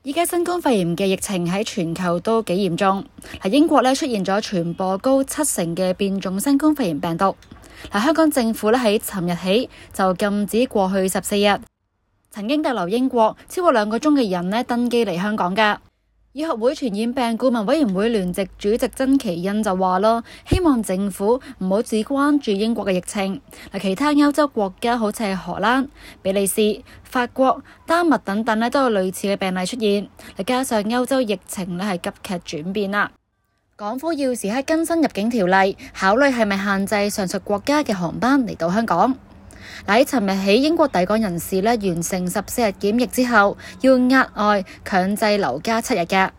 依家新冠肺炎嘅疫情喺全球都幾嚴重。英國出現咗傳播高70%嘅變種新冠肺炎病毒。香港政府喺尋日起就禁止過去14日曾經逗留英國超過2個鐘嘅人登機嚟香港㗎。醫學會傳染病顧問委員會聯席主席曾祈殷就話啦，希望政府唔好只關注英國嘅疫情，其他歐洲國家好似係荷蘭、比利時、法國、丹麥等等都有類似嘅病例出現，加上歐洲疫情係急劇轉變啦。港府要時刻更新入境條例，考慮係咪限制上述國家嘅航班嚟到香港。喺尋日起，英國抵港人士完成14日檢疫之後，要額外強制留家7日嘅。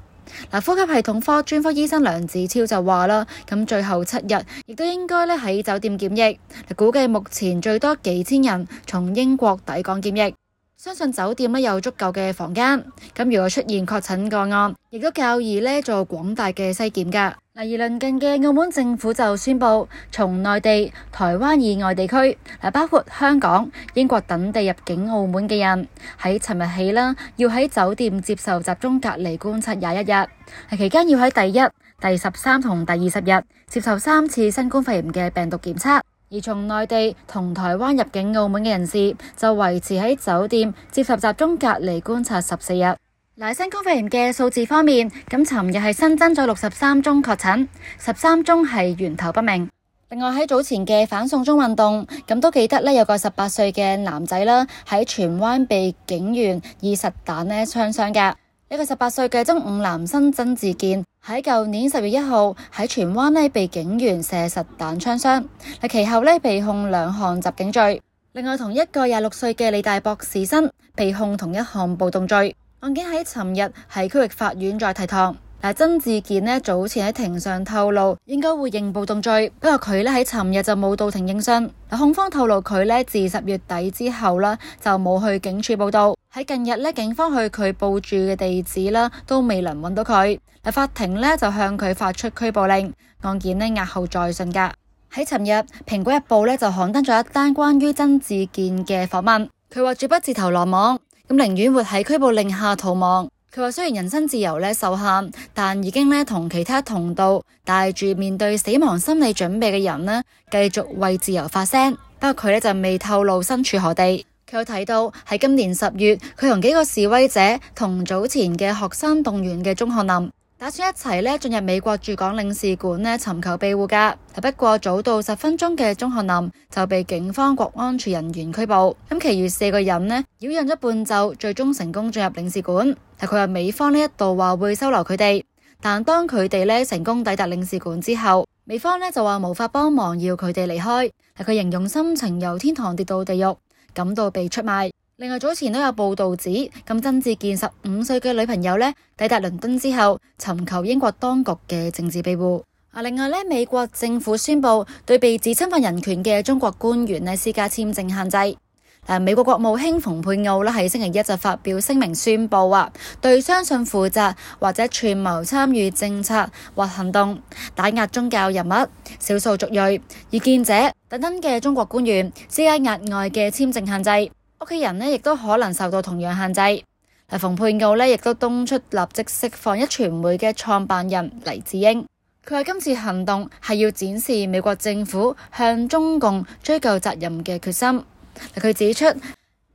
呼吸系統科專科醫生梁子超就話啦，咁最後7日亦都應該喺酒店檢疫。估計目前最多幾千人從英國抵港檢疫，相信酒店有足夠嘅房間。咁如果出現確診個案，亦都較易做廣大嘅篩檢㗎。而鄰近嘅澳門政府就宣布，從內地、台灣以外地區，包括香港、英國等地入境澳門嘅人，喺尋日起要喺酒店接受集中隔離觀察21日，期間要喺第1、第13同第20日接受3次新冠肺炎嘅病毒檢測。而從內地同台灣入境澳門嘅人士，就維持喺酒店接受集中隔離觀察14日。新冠肺炎嘅數字方面，咁尋日係新增咗63宗確診，13宗係源頭不明。另外喺早前嘅反送中運動，咁都記得有個18歲嘅男仔喺荃灣被警員以實彈槍傷㗎。一個18歲嘅中五男生曾志健喺舊年10月1號喺荃灣被警員射實彈槍傷，其後被控2項襲警罪。另外同一個26歲嘅理大博士生被控同一項暴動罪。案件喺尋日喺區域法院再提堂。曾志健早前喺庭上透露應該會認暴動罪，不過佢喺尋日就冇到庭應訊。控方透露佢自10月底之後就冇去警署報到。喺近日警方去佢報住嘅地址都未能揾到佢。法庭就向佢發出拘捕令，案件押後再訊㗎。喺尋日，蘋果日報就刊登咗一單關於曾志健嘅訪問，佢話絕不自投羅網，咁寧願活喺拘捕令下逃亡。佢話雖然人身自由受限，但已經同其他同道帶住面對死亡心理準備嘅人繼續為自由發聲。不過佢就未透露身處何地。佢有提到喺今年10月，佢同幾個示威者同早前嘅學生動員嘅鐘漢林打算一齊進入美國駐港領事館尋求庇護㗎。不過早到10分鐘嘅鐘漢林就被警方國安處人員拘捕。咁其餘4個人擾攘咗半晝，最終成功進入領事館。佢話美方一度話會收留佢哋，但當佢哋成功抵達領事館之後，美方就話無法幫忙，要佢哋離開。佢形容心情由天堂跌到地獄，感到被出賣。另外早前都有報道指，曾志健15歲嘅女朋友抵達倫敦之後，尋求英國當局嘅政治庇護。另外美國政府宣布對被指侵犯人權嘅中國官員施加簽證限制。美國國務卿蓬佩奧喺星期一就發表聲明宣布對相信負責或者串謀參與政策或行動打壓宗教人物、少數族裔、異見者等等嘅中國官員施加額外嘅簽證限制。屋企人亦都可能受到同樣限制。蓬佩奧亦都敦促立即釋放壹傳媒嘅創辦人黎智英。佢話今次行動係要展示美國政府向中共追究責任嘅決心。佢指出，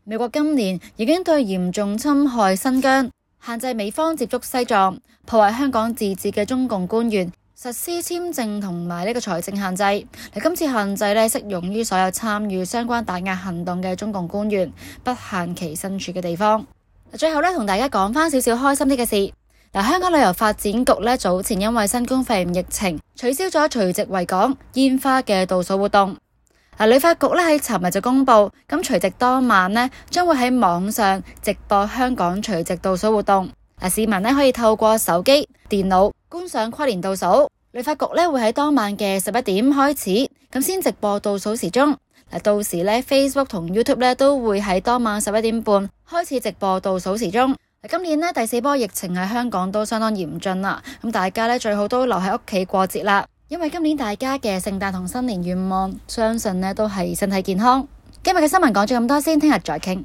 美國今年已經對嚴重侵害新疆、限制美方接觸西藏、破壞香港自治嘅中共官員實施簽證同埋財政限制。今次限制適用於所有參與相關打壓行動嘅中共官員，不限其身處嘅地方。最後同大家講翻少少開心啲嘅事。香港旅遊發展局早前因為新冠肺炎疫情取消咗除夕維港煙花嘅倒數活動。旅發局喺尋日就公布，咁除夕當晚將會喺網上直播香港除夕倒數活動。市民可以透過手機、電腦觀賞跨年倒數。旅發局會喺當晚嘅11點開始，咁先直播倒數時鐘。到時Facebook 同 YouTube 都會喺當晚11點半開始直播倒數時鐘。今年第4波疫情喺香港都相當嚴峻啦，咁大家最好都留喺屋企過節啦。因為今年大家嘅聖誕同新年願望，相信都係身體健康。今日嘅新聞講咗咁多先，聽日再傾。